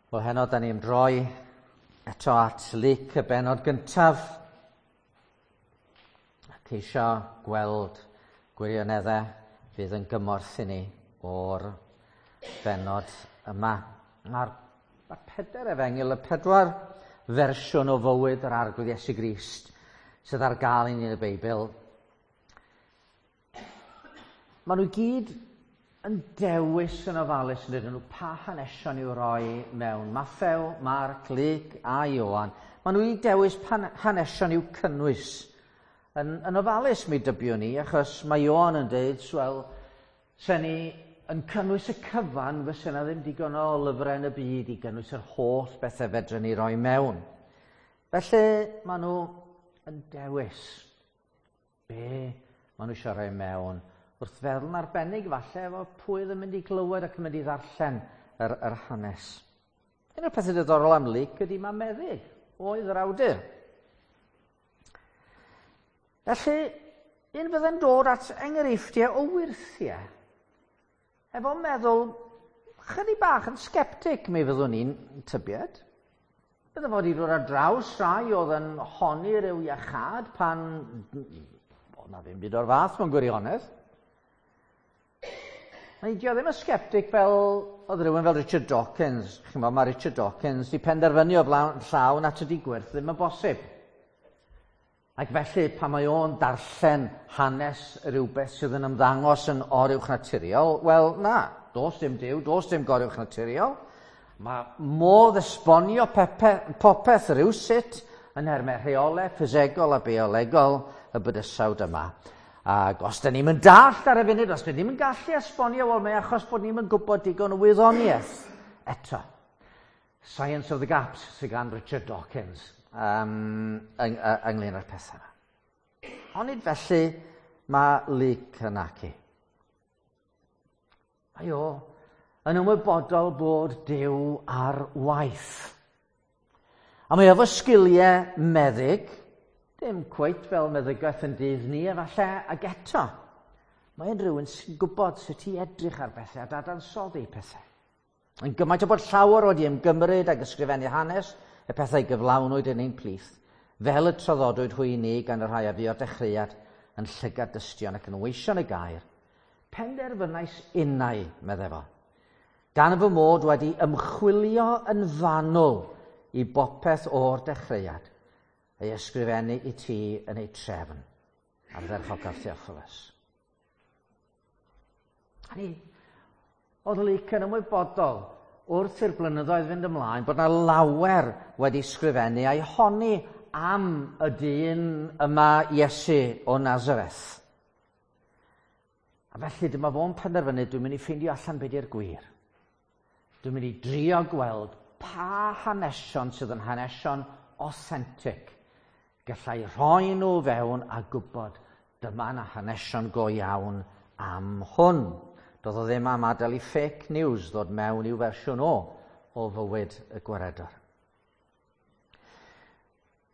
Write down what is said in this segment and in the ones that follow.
Wel, heno, da ni'n droi eto at Luc y benod gyntaf a ceisio gweld gwirioneddau fydd yn gymorth i ni o'r benod yma. Mae'r ma pedair efengyl, y pedwar fersiwn o fywyd yr Arglwydd Iesu Grist sydd ar gael i ni yn y Beibl, Maen nhw gyd yn dewis yn ofalus yn dydyn nhw pa hanesion i'w roi mewn Mathew, Marc, Luc a Ioan. Maen nhw i dewis pan hanesion i'w cynnwys yn, yn ofalus mi dybiwn ni, achos mae Ioan yn dweud, wel, se ni yn cynnwys y cyfan, fysa yna ddim digon o lyfrau yn y byd i gynnwys yr holl bethau fedrwn ni roi mewn. Felly, maen nhw yn dewis. Be maen nhw eisiau rhoi mewn wrth feddwl yn arbennig falle efo pwy oedd yn mynd i glywed ac yn mynd i ddarllen yr, yr hanes. Un o'r pethau diddorol am Luc ydy mae meddyg oedd yr awdur. Felly, un fydde'n dod at enghreifftiau o wyrthiau, efo meddwl chydig bach yn sgeptig mi fyddwn ni'n tybied. Bydde fod i ddod ar draws rhai oedd yn honni rhyw iachâd pan oedd na ddim byd o'r fath mewn gwirionedd. Mae dio ddim yn sgeptig fel oedd rhywun fel Richard Dawkins. Chi'n bod, mae Richard Dawkins di penderfynu o flaen llaw na tydi gwyrth ddim yn bosib. Ac felly, pan mae o'n darllen hanes rhywbeth sydd yn ymddangos yn oruwchnaturiol, wel, na, does dim Duw, does dim goruwchnaturiol. Mae modd esbonio pepe, popeth rhywsut yn nhermau rheolau ffisegol a biolegol y bydysawd yma. Ac os da ni'n mynd dallt ar y funud, os da ni'n mynd gallu esbonio, wel, mae achos bod ni'n mynd gwybod digon o wyddoniaeth eto. Science of the Gaps sydd gan Richard Dawkins um, yng, ynglyn â'r pethau yma. Onid felly mae Luc yn acu. Mae o yn ymwybodol bod Duw ar waith. A mae efo sgiliau meddyg, dim cweit fel meddygaeth yn dydd ni efallai, ag eto, mae'n rhywun sy'n gwybod sut i edrych ar bethau a dadansoddi pethau. Yn gymaint o bod llawer wedi ymgymryd ag ysgrifennu hanes y pethau gyflawnwyd yn ein plith, fel y traddodwyd hwy i ni gan y rhai a fu o'r dechreuad yn llygad dystion ac yn weision y gair, penderfynais innau, meddai fo, gan fy mod wedi ymchwilio yn fanwl i bopeth o'r dechreuad, ei ysgrifennu i ti yn ei trefn, ardderchocaf Theophilus. Hynny, oedd Luc yn ymwybodol wrth i'r blynyddoedd fynd ymlaen bod yna lawer wedi sgrifennu a'i honni am y dyn yma Iesu o Nazareth. A felly dyma fo'n penderfynu dwi'n mynd i ffeindio allan beth yw'r gwir. Dwi'n mynd i drio gweld pa hanesion sydd yn hanesion authentic. Gallai rhoi nhw fewn a gwybod dyma yna hanesion go iawn am hwn. Doedd o ddim am adael i fake news ddod mewn i'w fersiwn o o fywyd y gwaredwr.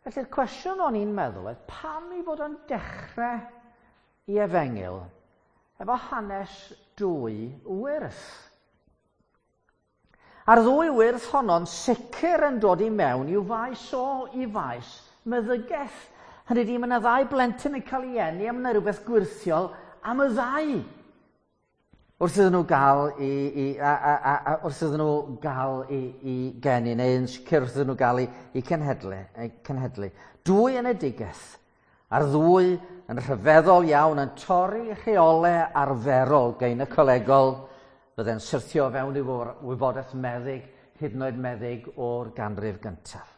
Felly'r cwestiwn o'n i'n meddwl oedd pam i fod o'n dechrau i efengyl efo hanes dwy wyrth. A'r ddwy wyrth honno'n sicr yn dod i mewn i'w faes o, i faes meddygaeth. Hynny ydi, mae yna ddau blentyn yn cael ei eni a mae yna rhywbeth gwyrthiol am y ddau. Wrth iddyn nhw gael i, i, a, a, a, a, wrth iddyn nhw gael i, i geni, neu yn sicr wrth iddyn nhw gael i, i cenhedlu, i cenhedlu. Dwy enedigaeth, a'r ddwy yn rhyfeddol iawn yn torri rheolau arferol gynaecolegol fydde'n syrthio fewn i wybodaeth meddyg, hyd yn oed meddyg o'r ganrif gyntaf.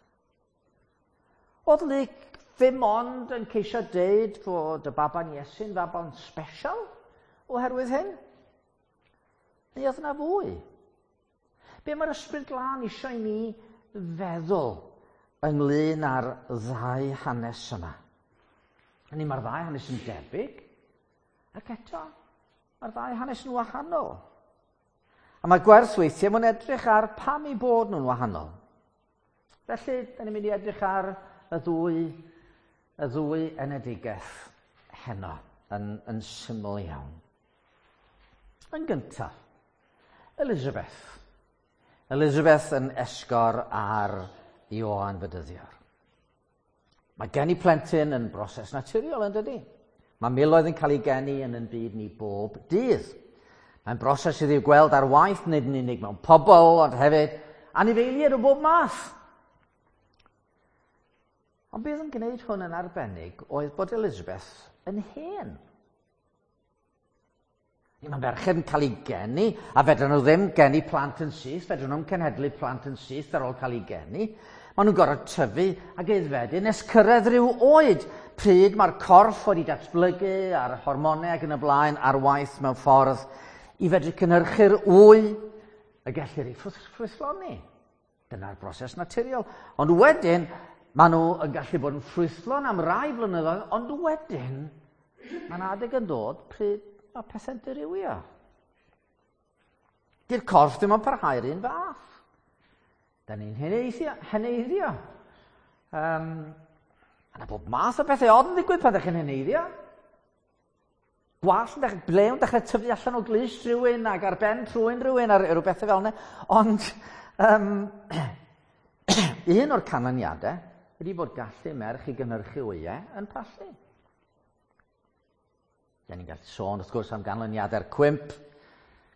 Oedd Luc ddim ond yn ceisio deud fod y baban Iesu'n faban special oherwydd hyn? Neu oedd yna fwy? Be mae'r Ysbryd Glân eisiau i ni feddwl ynglyn â'r ddau hanes yma? Hynny mae'r ddau hanes yn debyg, ac eto mae'r ddau hanes yn wahanol. A mae gwerth weithiau mwyn edrych ar pam eu bod nhw'n wahanol. Felly, da ni'n mynd i edrych ar y ddwy, y ddwy enedigaeth heno yn, yn syml iawn. Yn gyntaf, Elizabeth. Elizabeth yn esgor ar Ioan Fedyddiwr. Mae geni plentyn yn broses naturiol, yn dydy? Mae miloedd yn cael ei geni yn yn byd ni bob dydd. Mae'n broses sydd i'w gweld ar waith, nid yn unig mewn pobl, ond hefyd anifeiliaid o bob math. Ond beth yn gwneud hwn yn arbennig oedd bod Elizabeth yn hen. Ni mae merched yn cael ei geni, a fedrwn nhw ddim geni plant yn syth, fedrwn nhw'n cenhedlu plant yn syth ar ôl cael ei geni. Maen nhw'n gorfod tyfu ac aeddfedu nes cyrraedd rhyw oed pryd mae'r corff wedi datblygu a'r hormonau ac yn y blaen ar waith mewn ffordd i fedru cynhyrchu'r wy y gellir ei ffrwythloni. Dyna'r broses naturiol. Ond wedyn, maen nhw yn gallu bod yn ffrwythlon am rai blynyddoedd, ond wedyn, mae'n adeg yn dod pryd mae pethau'n dirywio. Di'r corff ddim yn parhau'r un fath. Da ni'n heneiddio. heneiddio. Yna bob math o bethau od yn digwydd pan ydych chi'n heneiddio. Gwallt yn dechrau, blew yn dechrau tyfu allan o glust rhywun ac ar ben trwyn rhywun ar rhyw bethau fel yna. Ond un o'r canlyniadau ydy bod gallu merch i gynhyrchu wyau yn pallu. Da ni'n gallu sôn wrth gwrs am ganlyniadau'r cwymp,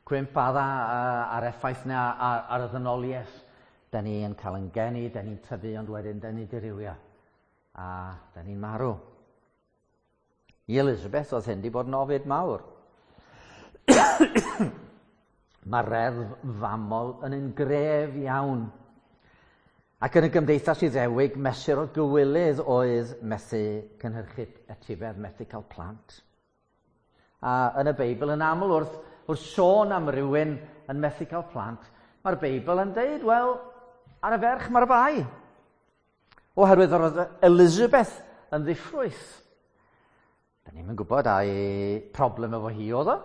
cwymp adda a'r effaith yna ar, ar y ddynoliaeth. Da ni'n cael yn geni, da ni'n tyfu, ond wedyn da ni'n dirywio. A da ni'n marw. I Elizabeth oedd hyn wedi bod yn ofid mawr. Mae reddf famol yn un gref iawn. Ac yn y gymdeithas Iddewig, mesur o gywilydd oedd methu cynhyrchu etifedd, methu cael plant. A yn y Beibl, yn aml wrth, wrth sôn am rywun yn methu cael plant, mae'r Beibl yn deud, wel, ar y ferch mae'r bai. Oherwydd yr oedd Elizabeth yn ddiffrwyth. Da ni'n gwybod ai problem efo hi oedd o,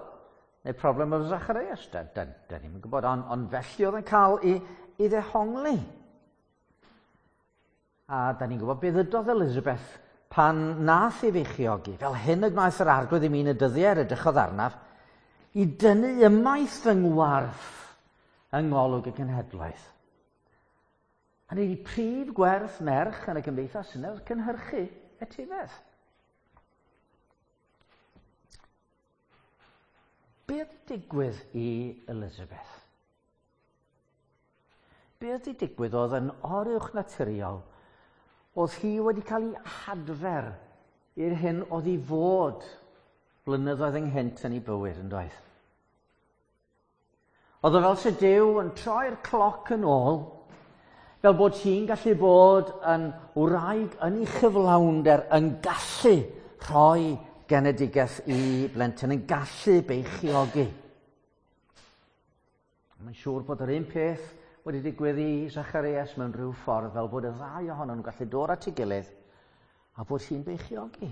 neu problem efo Zacharias. Da, da, da ni'n gwybod, ond on felly oedd yn cael ei, ei ddehongli. A da ni'n gwybod beth ydodd Elizabeth pan nath ei feichiogi, fel hyn y gwnaeth yr arglwydd i mi yn y dyddiau yr edrychodd arnaf, i dynnu ymaith fy ngwarth yng ngolwg y genhedlaeth. Hynny ydi prif gwerth merch yn y gymdeithas yna oedd cynhyrchu etifedd. Be oedd digwydd i Elizabeth? Be oedd digwydd oedd yn oruwch naturiol oedd hi wedi cael ei hadfer i'r hyn oedd i fod blynyddoedd ynghynt yn ei bywyd yn doedd. Oedd o fel se Duw yn troi'r cloc yn ôl, fel bod hi'n gallu bod yn wraig yn ei chyflawnder, yn gallu rhoi genedigaeth i blentyn, yn gallu beichiogi. Mae'n siŵr bod yr un peth wedi digwydd i Zacharias mewn rhyw ffordd, fel bod y ddau ohonyn nhw'n gallu dod at ei gilydd a bod hi'n beichiogi.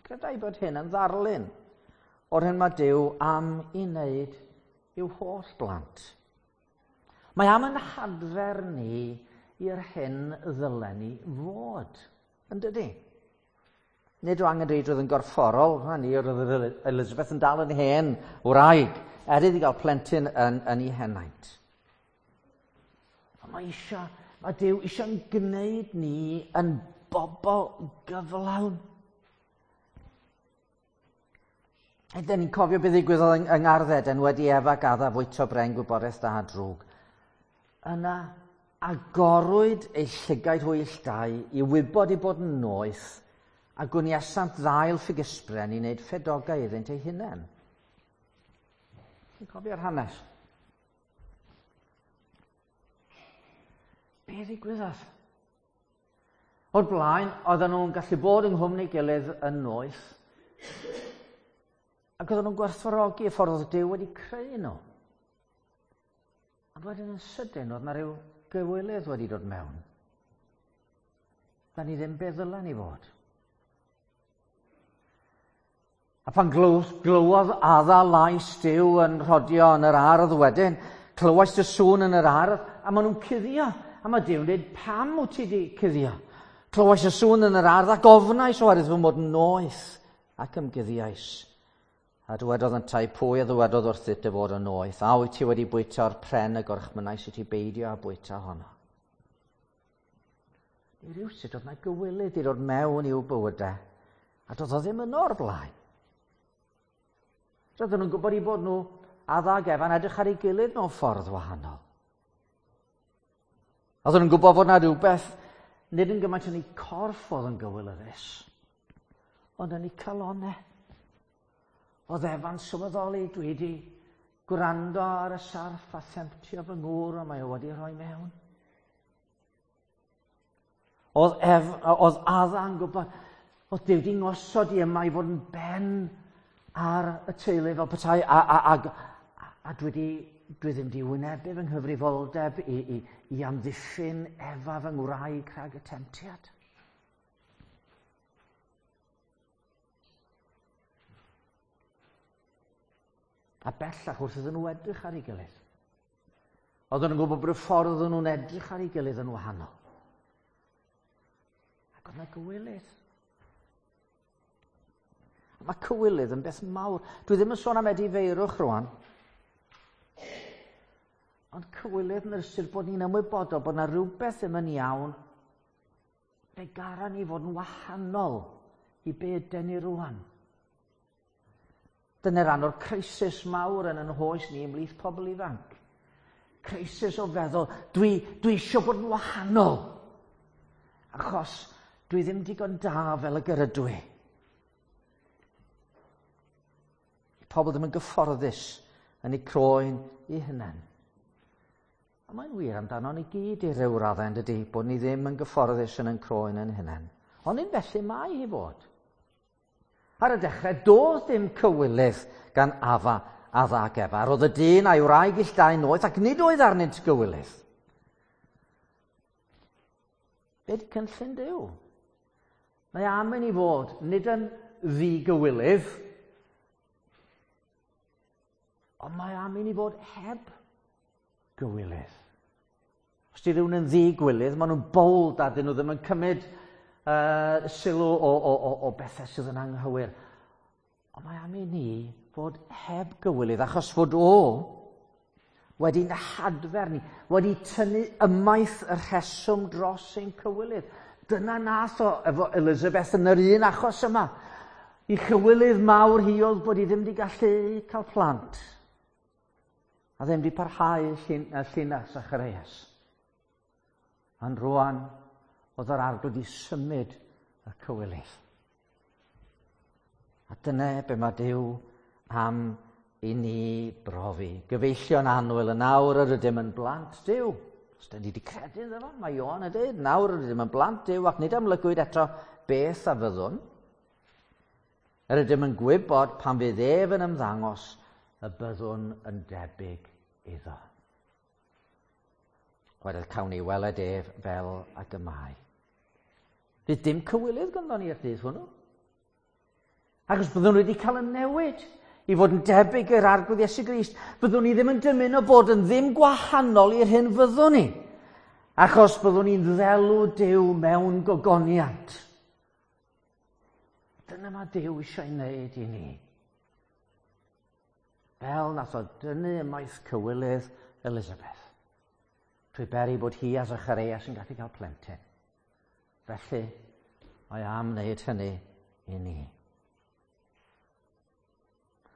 Credai bod hyn yn ddarlun o'r hyn mae Duw am i wneud i'w holl blant. Mae am yn hadfer ni i'r hyn ddylen ni fod, yn dydy? Nid o angenrheidrwydd yn gorfforol, hynny oedd Elizabeth yn dal yn hen wraig, er iddi gael plentyn yn, yn ei henaint. Ond mae eisiau, mae Duw eisiau'n gwneud ni yn bobl gyflawn. Ydyn ni'n cofio beth ddigwyddodd yng, yng Ngardd Eden wedi Efa ac Adda fwyta bren gwybodaeth da a drwg. Yna agorwyd eu llygaid hwy ill dau i wybod eu bod yn noeth a gwniasant ddail ffigysbren i wneud ffedogau iddynt eu hunain. Chi'n cofio'r hanes? Be ddigwyddodd? O'r blaen, oedden nhw'n gallu bod yng nghwmni gilydd yn noeth, ac oedden nhw'n gwerthfawrogi y ffordd oedd Duw wedi creu nhw. Ond wedyn yn sydyn, oedd yna rhyw gywilydd wedi dod mewn. Da ni ddim be ddylen ni fod. A pan glywodd Adda lais Duw yn rhodio yn yr ardd wedyn, clywais dy sŵn yn yr ardd, a maen nhw'n cuddio. A mae Duw'n dweud, pam wyt ti wedi cuddio? Clywais y sŵn yn yr ardd ac ofnais oherwydd fy mod yn noeth ac ymguddiais. A dywedodd yntau, pwy a ddywedodd wrthyt dy fod yn noeth? A wyt ti wedi bwyta o'r pren y gorchmynnais i ti beidio â bwyta honno? Neu rywsut oedd 'na gywilydd i ddod mewn i'w bywydau, a doedd o ddim yno o'r blaen. Roedden nhw'n gwybod eu bod nhw, Adda ac Efa'n edrych ar ei gilydd mewn ffordd wahanol. Oedden nhw'n gwybod fod 'na rhywbeth nid yn gymaint yn eu corff oedd yn gywilyddus, ond yn eu calonau. Oedd Efa'n sylweddoli, dwi wedi gwrando ar y sarff a themptio fy ngŵr a mae o wedi rhoi mewn. Oedd, Ef, oedd Adda'n gwybod, oedd Duw wedi ngosod i yma i fod yn ben ar y teulu fel petai, a, a, a, a dwi, di, dwi ddim di wynebu fy nghyfrifoldeb i, i, i amddiffyn Efa fy ngwraig rhag y temtiad. A bellach wrth iddyn nhw edrych ar ei gilydd. Oedden nhw'n gwybod bod y ffordd oedden nhw'n edrych ar ei gilydd yn wahanol. Ac oedd yna gywilydd. A mae cywilydd yn beth mawr. Dwi ddim yn sôn am edifeirwch rwan. Ond cywilydd yn yr ystyr bod ni'n ymwybodol bod yna rhywbeth ddim yn iawn. Fe gara ni fod yn wahanol i be yden ni rwan. Dyna ran o'r crisis mawr yn yn hoes ni ymhlith pobl ifanc. Crisis o feddwl, dwi, dwi eisiau bod yn wahanol. Achos dwi ddim digon da fel y gyrydw i. Pobl ddim yn gyfforddus yn eu croen eu hunain. A mae'n wir amdano ni gyd i ryw raddau, yn dydy, bod ni ddim yn gyfforddus yn ein croen ein hunain. Ond un felly mae hi fod. Ar y dechrau, doedd dim cywilydd gan Afa, Adda ac Efa. Roedd y dyn a'i wraig ill dau noeth ac nid oedd arnynt gywilydd. Be di cynllun Duw? Mae am i ni fod nid yn ddigywilydd, ond mae am i ni fod heb gywilydd. Os di rhywun yn ddi-gwilydd, maen nhw'n bold a dyn nhw ddim yn cymryd sylw o, o, o, o bethau sydd yn anghywir. Ond mae am i ni fod heb gywilydd, achos fod o wedi'n hadfer ni, wedi tynnu ymaith y rheswm dros ein cywilydd. Dyna nath o efo Elizabeth yn yr un achos yma. I chywilydd mawr hi oedd bod hi ddim wedi gallu cael plant. A ddim wedi parhau llun, llinach Zacharias. Ond rwan, oedd yr arglwydd wedi symud y cywilydd. A dyna be mae Duw am i ni brofi. Gyfeillion annwyl, yn awr yr ydym yn blant Duw. Os da ni wedi credu iddo fo, mae Ioan yn dweud, nawr yr ydym yn blant Duw ac nid amlygwyd eto beth a fyddwn. Yr ydym yn gwybod pan fydd ef yn ymddangos y byddwn yn debyg iddo. Wedyn cawn ni weled ef fel ag y mae. Fydd dim cywilydd ganddo ni i'r dydd hwnnw. Ac os byddwn wedi cael y newid i fod yn debyg i'r Arglwydd Iesu Grist, byddwn ni ddim yn dymuno bod yn ddim gwahanol i'r hyn fyddwn ni. Achos byddwn ni'n ddelw Duw mewn gogoniant. Dyna mae Duw eisiau wneud i ni. Fel nath o dynnu ymaith cywilydd Elizabeth. Trwy beri bod hi a Zacharias yn gallu cael plentyn. Felly, mae am wneud hynny i ni.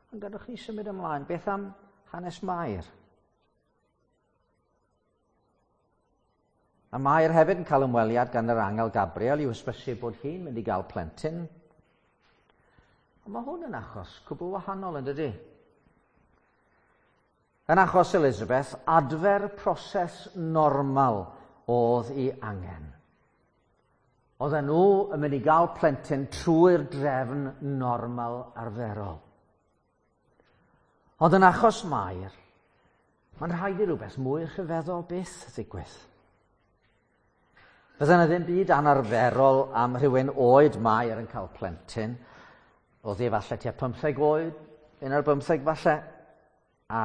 Ond gadwch ni symud ymlaen. Beth am hanes Mair? A Mair hefyd yn cael ymweliad gan yr angel Gabriel i'w hysbysu bod hi'n mynd i gael plentyn. Ond mae hwn yn achos cwbl wahanol yn dydy? Yn achos Elizabeth, adfer proses normal oedd ei angen. Oedden nhw yn mynd i gael plentyn trwy'r drefn normal arferol. Ond yn achos Mair, mae'n rhaid i rhywbeth mwy rhyfeddol byth ddigwydd. Bydde yna ddim byd anarferol am rhywun oed Mair yn cael plentyn. Oedd hi falle tua 15 oed, un ar bymtheg falle. A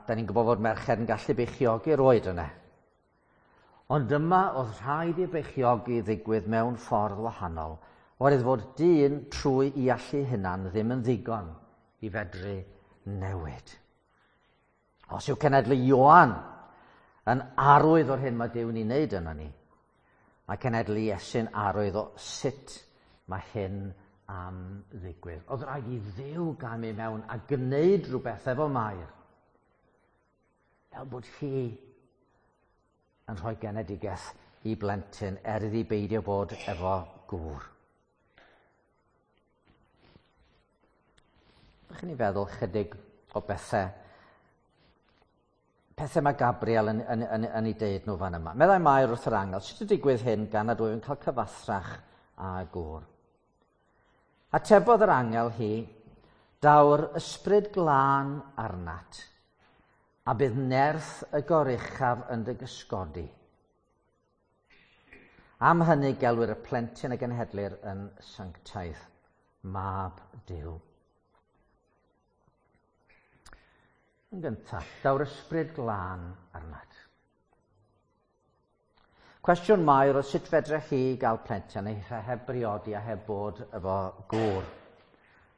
da ni'n gwybod fod merched yn gallu beichiogi'r oed yna. Ond yma oedd rhaid i beichiogi ddigwydd mewn ffordd wahanol, oherwydd fod dyn trwy i allu hunan ddim yn ddigon. i fedru newid. Os yw cenedlu Ioan yn arwydd o'r hyn mae Duw'n ei wneud yno ni, mae cenedlu Iesu'n arwydd o sut mae hyn am ddigwydd. Oedd rhaid i Dduw gamu mewn a gwneud rhywbeth efo Mair. Fel bod hi yn rhoi genedigaeth i blentyn er iddi beidio bod efo gŵr. Ydych chi'n ei feddwl chydig o bethau pethau mae Gabriel yn, yn, yn, yn ei deud nhw fan yma. Meddai Mair wrth yr angel, sut y digwydd hyn gan nad wyf yn cael cyfathrach a gŵr? Atebodd yr angel hi, daw'r ysbryd glân arnat, a bydd nerth y goruchaf yn dy gysgodi. Am hynny gelwir y plentyn a genhedlir yn sanctaidd, mab Duw. Yn gyntaf, daw'r ysbryd glân arnat. Cwestiwn Mair oedd sut fedrech chi gael plentyn neu heb briodi a heb bod efo gŵr.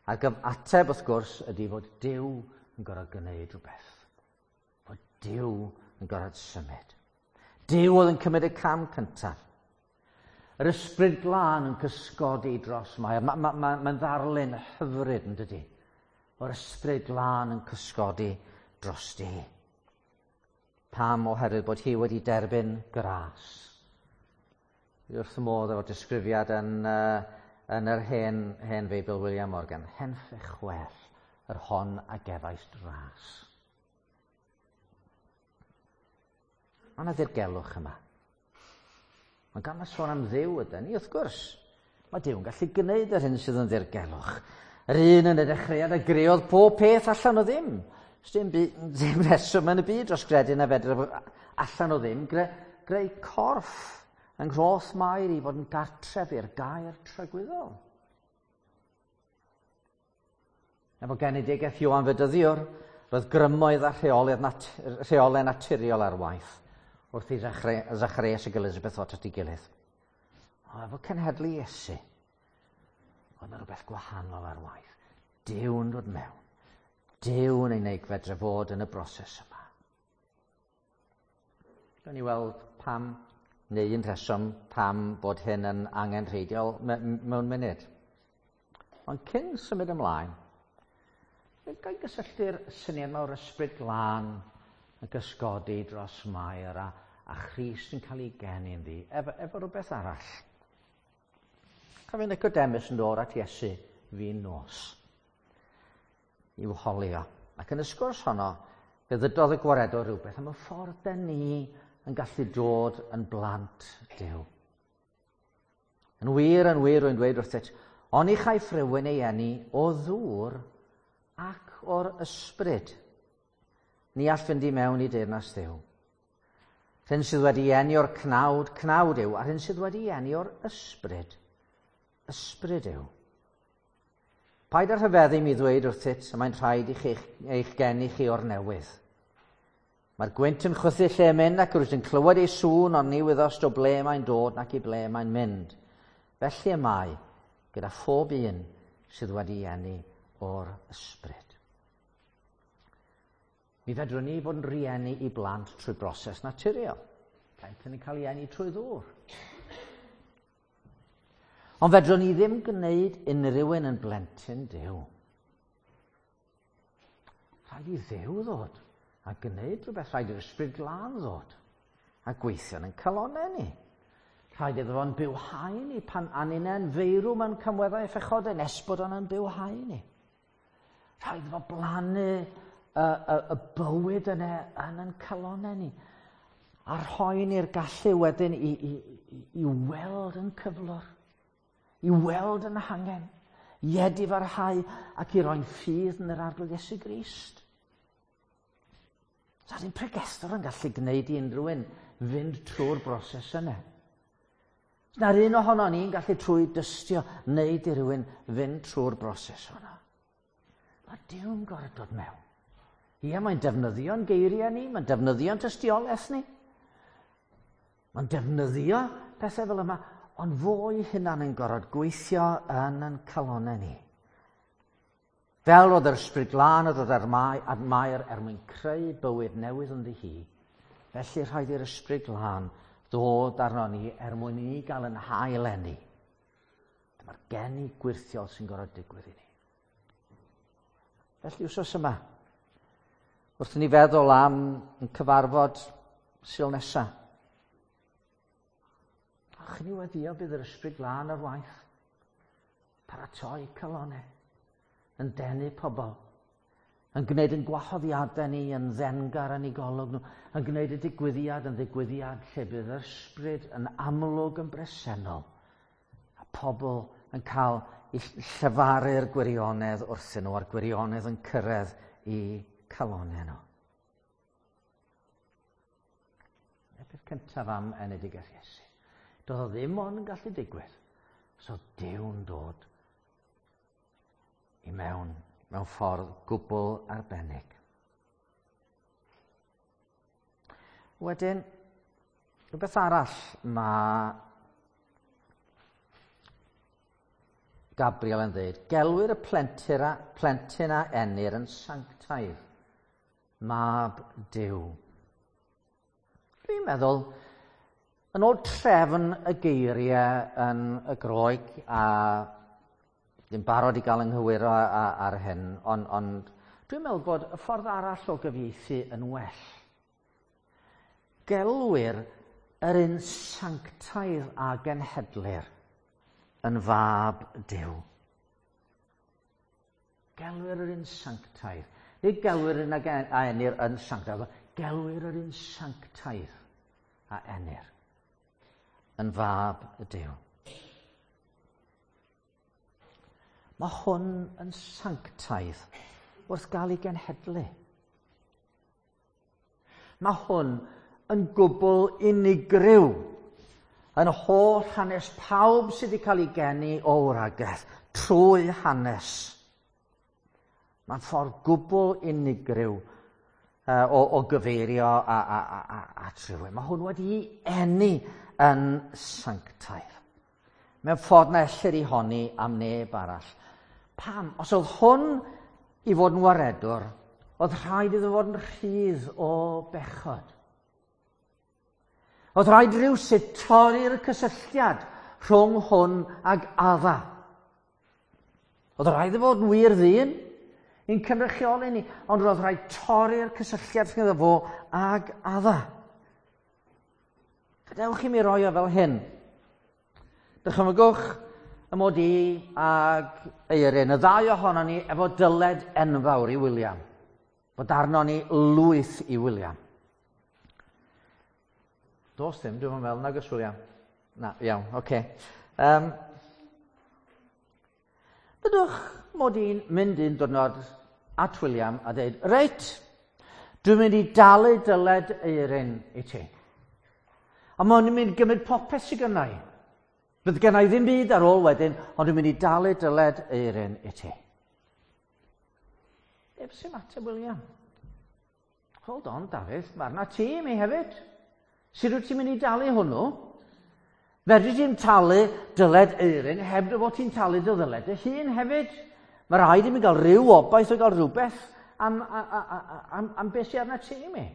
Ac ateb, wrth gwrs, ydy fod Duw yn gorfod gwneud rhywbeth. Fod Duw yn gorfod symud. Duw oedd yn cymryd y cam cyntaf. Yr ysbryd glân yn cysgodi dros Mair. Mae'n ma, ma, ma, ma ddarlun hyfryd yn dydy. O'r ysbryd glân yn cysgodi drosti. Pam? Oherwydd bod hi wedi derbyn gras. Dwi wrth y modd efo'r disgrifiad yn, uh, yn yr hen, hen Feibl William Morgan. Henffych chwell, yr hon a gefais dras. Mae yna ddirgelwch yma. Mae gan y sôn am Dduw ydyn ni, wrth gwrs. Mae Duw yn gallu gwneud yr hyn sydd yn ddirgelwch. Yr un yn y dechreuad a greodd pob peth allan o ddim. Dim, ddim reswm yn y byd dros gredu na fedr allan o ddim gre, greu corff yng nghroth Mair i fod yn gartref i'r gair tragwyddol. Efo genedigaeth Ioan Fedyddiwr, roedd grymoedd a rheolau, nat rheolau naturiol ar waith wrth i Zacharias ac Elizabeth ddod at ei gilydd. O, efo cenhedlu Iesu, oedd yna rhywbeth gwahanol ar waith. Duw'n dod mewn. Duw'n ei wneud fedre fod yn y broses yma. Gawn ni weld pam, neu un rheswm pam bod hyn yn angenrheidiol mewn munud. Ond cyn symud ymlaen, gael gysylltu'r syniad yma o'r ysbryd glân yn gysgodi dros Mair a, a Christ yn cael ei geni ynddi, efo, efo rhywbeth arall. Cofio Nicodemus yn dod at Iesu fin nos i'w holio. Ac yn y sgwrs honno, fe ddydodd y gwaredwr rhywbeth am y ffordd den ni yn gallu dod yn blant Duw. Yn wir, yn wir, rwy'n dweud wrthyt, oni chaiff rhywun ei eni o ddŵr ac o'r ysbryd. Ni all fynd i mewn i deyrnas Dduw. Rhyn sydd wedi eni o'r cnawd, cnawd yw, a rhyn sydd wedi eni o'r ysbryd, ysbryd yw. Paid â rhyfeddu mi ddweud wrthyt, y mae'n rhaid i chi eich geni chi o'r newydd. Mae'r gwynt yn chwythu lle mynd ac rwyt yn clywed ei sŵn, ond ni wyddost o ble mae'n dod nac i ble mae'n mynd. Felly y mae gyda phob un sydd wedi eni o'r ysbryd. Mi fedrwn ni fod yn rieni i blant trwy broses naturiol. Plentyn yn cael ei eni trwy ddŵr. Ond fedrwn ni ddim gwneud unrhyw un yn blentyn Duw. Rhaid i Dduw ddod a gwneud rhywbeth. Rhaid i'r ysbryd glân ddod a gweithio yn calonau ni. Rhaid iddo fo'n bywhau ni pan aninau'n feirw mewn camweddau a phechodau nes bod o'n bywhau ni. Rhaid iddo fo blannu y, y, y bywyd yna yn yn calonau ni a rhoi ni'r gallu wedyn i, i, i, i weld yn cyflwr, i weld yn hangen, i edifarhau ac i roi'n ffydd yn yr Arglwydd Iesu Grist. Sa'r un pregethwr yn gallu gwneud i unrhyw un fynd trwy'r broses yna. Na'r un ohono ni'n gallu trwy dystio wneud i rywun fynd trwy'r broses hwnna. Mae Duw'n gorfod dod mewn. Ie, mae'n defnyddio'n geiriau ni, mae'n defnyddio'n tystiolaeth ni. Mae'n defnyddio pethau fel yma, ond fo'i hunan yn gorfod gweithio yn yn calonau ni. Fel oedd yr Ysbryd Glân yn dod ar Mair er mwyn creu bywyd newydd ynddi hi, felly rhaid i'r Ysbryd Glân ddod arno ni er mwyn i ni gael yn hail eni. Dyma'r geni gwyrthiol sy'n gorfod digwydd i ni. Felly wsos yma, wrth i ni feddwl am yn cyfarfod Sul nesa, ach ni weddio bydd yr Ysbryd Glân ar waith, paratoi calonau, yn denu pobl, yn gwneud yn gwahoddiadau ni yn ddengar yn eu golwg nhw, yn gwneud y digwyddiad yn ddigwyddiad lle bydd yr ysbryd yn amlwg yn bresennol, a pobl yn cael i llefaru'r gwirionedd wrthyn nhw, a'r gwirionedd yn cyrraedd i calonau nhw. Y peth cyntaf am enedigaeth Iesu. Doedd o ddim ond yn gallu digwydd. So Duw'n dod i mewn mewn ffordd gwbl arbennig. Wedyn, rhywbeth arall mae Gabriel yn dweud, gelwir y plentyn a, plentyn a enir yn sanctaidd, mab Duw. Dwi'n meddwl, yn ôl trefn y geiriau yn y Groeg, a ddim barod i gael ynghywiro ar hyn, ond, ond dwi'n meddwl bod y ffordd arall o gyfieithu yn well. Gelwir yr un sanctaidd a genhedlir yn fab Duw. Gelwir yr un sanctaidd. Nid gelwir yr un a enir yn sanctaidd, gelwir yr un sanctaidd a enir yn fab y Duw. Mae hwn yn sanctaidd wrth gael ei genhedlu. Mae hwn yn gwbl unigryw yn holl hanes pawb sydd wedi cael ei geni o wragedd trwy hanes. Mae'n ffordd gwbl unigryw o, o gyfeirio a, a, a, a, at rhywun. Mae hwn wedi eni yn sanctaidd. Mewn ffordd na ellir ei honni am neb arall. Pam? Os oedd hwn i fod yn waredwr, oedd rhaid iddo fod yn rhydd o bechod. Oedd rhaid rhywsut torri'r cysylltiad rhwng hwn ag Adda. Oedd rhaid iddo fod yn wir ddyn, i'n cynrychioli ni, ond roedd rhaid torri'r cysylltiad rhwng fo ag Adda. Gadewch i mi roi o fel hyn. Dychymygwch y mod i ag Eirin, y ddau ohono ni efo dyled enfawr i William. Bod arno ni lwyth i William. Dos ddim, dwi'n meddwl, nag oes William. Na, iawn, oce. Okay. Um, Dydwch mod i'n mynd un diwrnod at William a dweud, reit, dwi'n mynd i dalu dyled Eirin i ti. A mae'n mynd i gymryd popeth sydd gynna i. Bydd gynna i ddim byd ar ôl wedyn, ond dwi'n mynd i dalu dyled Eirin i ti. Ef sy'n ateb William. Hold on, Dafydd, mae arna ti i mi hefyd. Sut wyt ti'n mynd i dalu hwnnw? Fedri ti'n talu dyled Eirin heb dy fod ti'n talu dy ddyled dy hun hefyd. Mae rhaid i mi gael rhyw obaith o gael rhywbeth am, am, am, am beth sy'n arna ti i mi.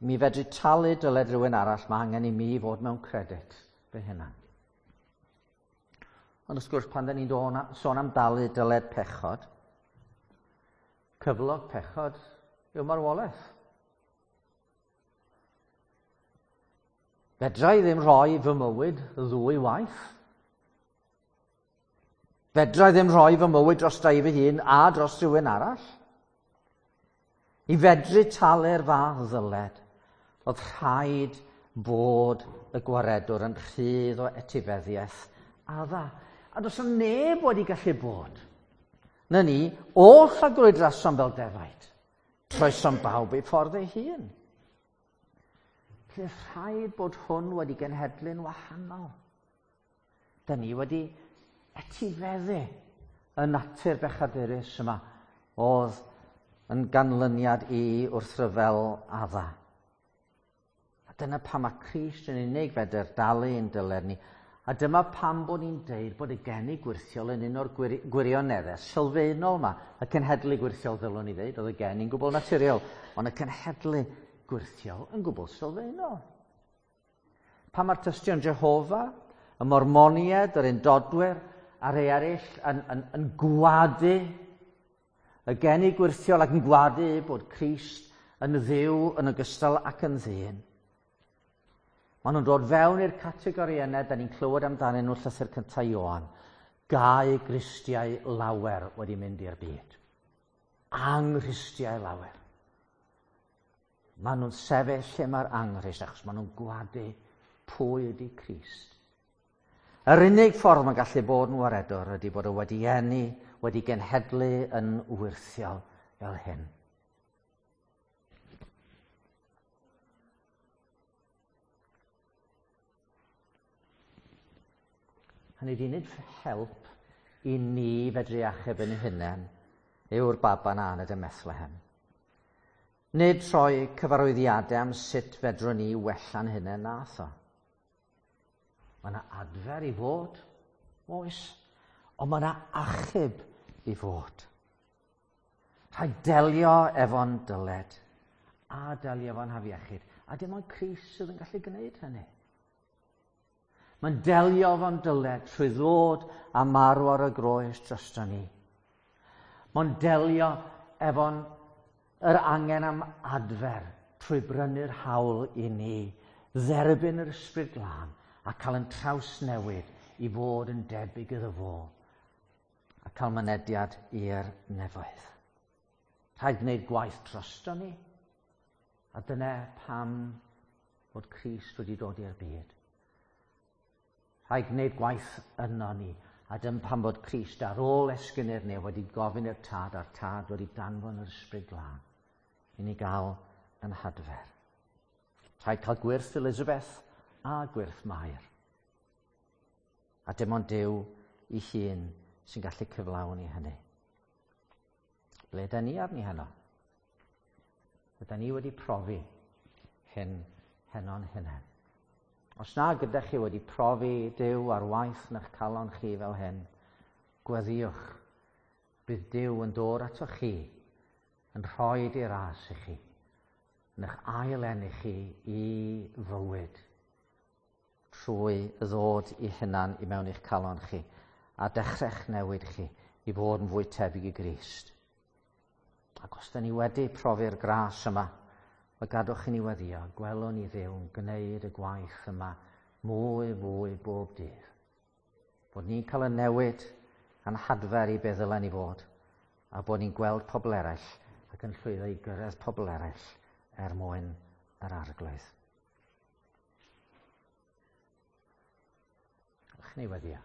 Mi fedru talu dyled rhywun arall, mae angen i mi fod mewn credit fy hunan. Ond wrth gwrs, pan da ni'n sôn am dalu dyled pechod, cyflog pechod yw marwolaeth. Fedra i ddim rhoi fy mywyd ddwy waith. Fedra i ddim rhoi fy mywyd dros i fy hun a dros rhywun arall. I fedru talu'r fath ddyled, oedd rhaid bod y gwaredwr yn rhydd o etifeddiaeth adda. A does neb wedi gallu bod. Na ni, oll a grwydrasom fel defaid. Troesom bawb ei ffordd ei hun. Felly rhaid bod hwn wedi genhedlu'n wahanol. Da ni wedi etifeddu y natur bechadurus yma oedd yn ganlyniad i wrthryfel adda. A dyna pam mae Crist yn unig fedr dalu yn dyled ni. A dyma pam bod ni'n deud bod y geni gwyrthiol yn un o'r gwirioneddau sylfaenol yma. Y cenhedlu gwyrthiol ddylwn ni ddeud, oedd y geni'n gwbl naturiol, ond y cenhedlu gwyrthiol yn gwbl sylfaenol. Pan mae'r tystion Jehofa, y Mormoniaid, yr Undodwyr, a rhai eraill yn gwadu y geni gwyrthiol ac yn gwadu bod Crist yn Dduw yn ogystal ac yn ddyn. Maen nhw'n dod fewn i'r categori yna da ni'n clywed amdanyn nhw llythyr cyntaf Ioan. Gau Gristiau lawer wedi mynd i'r byd. Anghristiau lawer. Maen nhw'n sefyll lle mae'r anghrist achos maen nhw'n gwadu pwy ydy Crist. Yr unig ffordd mae'n gallu bod yn waredwr ydy bod o wedi eni, wedi genhedlu yn wyrthiol fel hyn. Hynny ydi, nid help i ni fedru achub yn hunain yw'r baban a aned ym Methlehem. Nid rhoi cyfarwyddiadau am sut fedrwn ni wella'n hunain nath o. Mae yna adfer i fod, oes, ond mae yna achub i fod. Rhaid delio efo'n dyled a delio efo'n hafiechyd. A dim ond Crist sydd yn gallu gwneud hynny. Mae'n delio efo'n dyled trwy ddod a marw ar y groes drosto ni. Mae'n delio efo'n yr angen am adfer trwy brynu'r hawl i ni, dderbyn yr Ysbryd Glân a cael yn trawsnewid i fod yn debyg iddo fo a cael mynediad i'r nefoedd. Rhaid gwneud gwaith drosto ni, a dyna pam bod Crist wedi dod i'r byd. Rhaid gwneud gwaith yno ni, a dyma pam bod Crist ar ôl esgyn i'r nef wedi gofyn i'r Tad, a'r Tad wedi danfon yr Ysbryd Glân i ni gael yn hadfer. Rhaid cael gwyrth Elizabeth a gwyrth Mair. A dim ond Duw ei hun sy'n gallu cyflawni hynny. Ble da ni arni heno? Yda ni wedi profi hyn heno'n hunain? Os na gyda chi wedi profi Duw ar waith yn eich calon chi fel hyn, gweddïwch. Bydd Duw yn dod atoch chi, yn rhoi ei ras i chi, yn eich ail-eni chi i fywyd, trwy ddod i hunan i mewn i'ch calon chi, a dechrau'ch newid chi i fod yn fwy tebyg i Grist. Ac os da ni wedi profi'r gras yma, mae gadwch i ni weddio, gwelwn ni Dduw yn gwneud y gwaith yma mwy fwy bob dydd. Bod ni'n cael y newid a'n hadfer i beth ddylen ni fod, a bod ni'n gweld pobl eraill ac yn llwyddo i gyrraedd pobl eraill er mwyn yr Arglwydd. Ewch ni weddio.